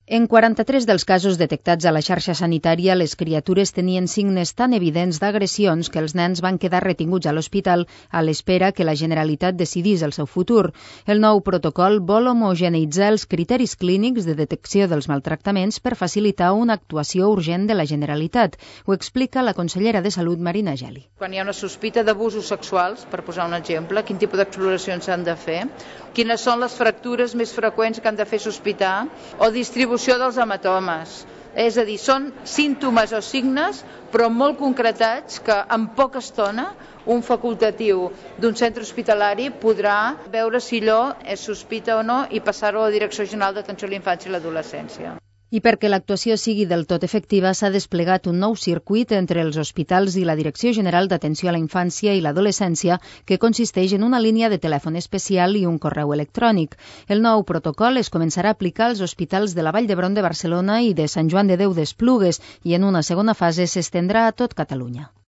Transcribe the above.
En 43 dels casos detectats a la xarxa sanitària, les criatures tenien signes tan evidents d'agressions que els nens van quedar retinguts a l'hospital a l'espera que la Generalitat decidís el seu futur. El nou protocol vol homogeneïtzar els criteris clínics de detecció dels maltractaments per facilitar una actuació urgent de la Generalitat. Ho explica la consellera de Salut, Marina Geli. Quan hi ha una sospita d'abusos sexuals, per posar un exemple, quin tipus d'exploracions s'han de fer, quines són les fractures més freqüents que han de fer sospitar o distribució dels hematomes. És a dir, són símptomes o signes, però molt concretats que en poca estona un facultatiu d'un centre hospitalari podrà veure si allò és sospita o no i passar-ho a la Direcció General d'Atenció a la Infància i l'Adolescència. I perquè l'actuació sigui del tot efectiva, s'ha desplegat un nou circuit entre els hospitals i la Direcció General d'Atenció a la Infància i l'Adolescència que consisteix en una línia de telèfon especial i un correu electrònic. El nou protocol es començarà a aplicar als hospitals de la Vall d'Hebron de Barcelona i de Sant Joan de Déu d'Esplugues i en una segona fase s'estendrà a tot Catalunya.